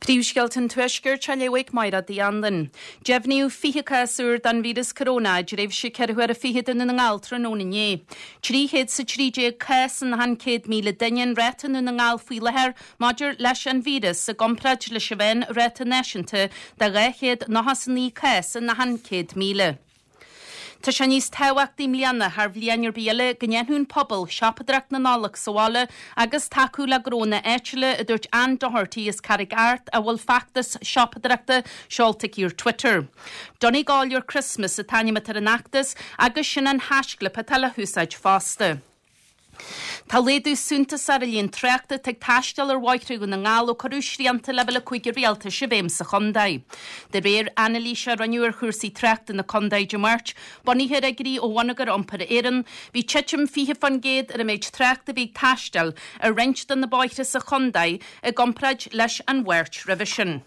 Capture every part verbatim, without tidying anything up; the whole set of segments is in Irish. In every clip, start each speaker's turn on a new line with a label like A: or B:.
A: Príomhscéalta an Tuaiscirt á léamh ag Máire Uí Anluain. Deimhníodh fiche cás úr den víreas coróna i dtréimhse ceithre huaire fichead i nDún na nGall tráthnóna inné. Trí chéad is a trí déag cás in achan céad míle duine an ráta i nDún na nGall faoi láthair maidir leis an víreas i gcomparáid leis an mheánráta náisiúnta de dhá chéad nócha is a naoi cás in achan céad míle. Tá sé níos tábhachtaí i mbliana thar bhliain ar bith eile go ndéanfadh an pobal siopadóireacht na Nollag sa bhaile agus tacú le gnónna áitiúla, a dúirt Ann Doherty as Carraig Art a bhfuil feachtas siopadóireachta seolta aici ar Twitter. Donegal Your Christmas an t-ainm atá ar an fheachtas agus sin an haischlib atá le húsáid fosta. Tá laghdú suntasach ar líon tráchta atá ag taisteal ar bhóithre Dhún na nGall ó cuireadh srianta leibhéal a cúig an rialtais i bhfeidhm sa chontae. De réir anailíse a rinneadh ar chúrsaí tráchta na contae Dé Máirt, bunaithe ar fhigiúirí ó Bhonneagar Iompair Éireann, bhí titim fiche faoin gcéad ar an méid tráchta a bhí ag taisteal ar roinnt de na bóithre sa chontae i gcomparáid leis an Mháirt roimhe sin.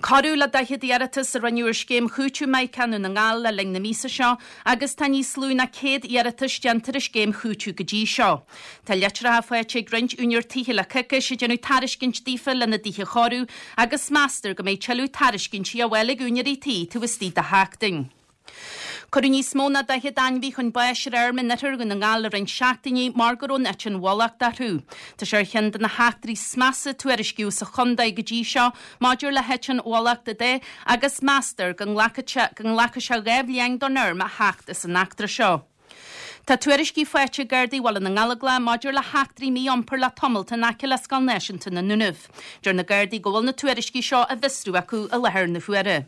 A: Corradh le daichead iarratas a rinneadh ar scéim chúitimh Mica i nDún na nGall le linn na míosa seo agus tá níos lú ná céad iarratas déanta ar an scéim chúitimh go dtí seo. Tá litreacha faighte ag roinnt úinéir tithe le coicís ag déanamh tairiscint daofa lena dtithe a chóiriú agus meastar go mbeidh tuilleadh tairiscintí á bhfáil ag úinéirí tí taobh istigh de sheachtain. Cuireadh níos mó ná daichead ainmhí chun báis ar fheirm in oirthear Dhún na nGall le roinnt seachtainí mar go raibh an eitinn bhulacht orthu. Tá sé ar cheann de na heachtraí is measa a tuairiscíodh sa chontae go dtí seo maidir le heitinn bhulachta de agus meastar go nglacfaidh sé go nglacfaidh sé dhá bhliain don fheirm a theacht as an eachtra seo. Tá tuairiscí faighte ag Gardaí Bhaile na nGallóglach maidir le heachtraí mí-iompair le tamalt in aice le Scoil Náisiúnta na nDúnaibh. Deir na Gardaí go bhfuil na tuairiscí seo á bhfiosrú acu i láthair na huaire.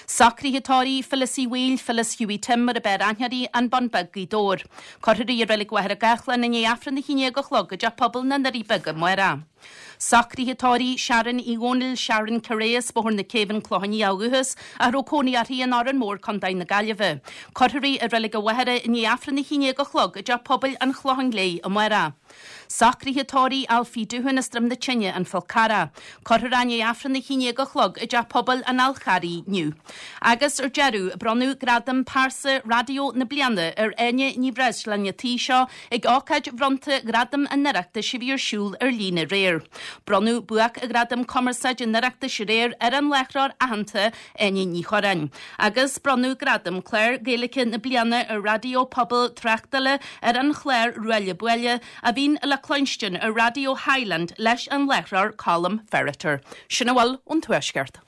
A: Socruithe tórraimh Phyllis Uí Bhaoill, Phyllis Hughie Tim mar ab fhearr aithne uirthi, An Bun Beag, Gaoth Dobhair. Cuirfear í i Reilig Mhachaire Gathlán i ndiaidh Aifreann a haon déag a chlog i dTeach Pobail na nDoirí Beaga amárach. Socruithe tórraimh Sharon Uí Dhónaill, Sharon Careyes, Bóthar na Céibhe, An Clochán Liath ó dhúchas, a raibh cónaí uirthi in Órán Mór, Contae na Gaillimhe. Cuirfear í i Reilig an Mhachaire i ndiaidh Aifreann a haon déag a chlog i dTeach Pobail an Chlocháin Léith amárach. Socruithe tórraimh Alfie Doohan as Droim na Tine, An Fál Carrach. Cuirfear é i ndiaidh Aifreann a haon déag a chlog i dTeach Pobail an Fháil Charraigh inniu. Agus ar deireadh, bronnadh gradam Pearsa Raidió na Bliana ar Áine Ní Bhreisleáin an tí seo ag ócáid bhronnta Ghradam an Oireachtais a bhí ar siúl ar líne aréir. Bronnadh buaicghradam cumarsáide an Oireachtais aréir ar an láithreoir aitheanta Áine Ní Churráin. Agus bronnadh gradam Clár Gaeilge na Bliana ar Raidió Pobail Tráchtála ar an chlár Ruaille Buaille a bhíonn le cluinstin ar Raidió Highland leis an láithreoir Colm Ferriter. Sin a bhfuil ón Tuaisceart.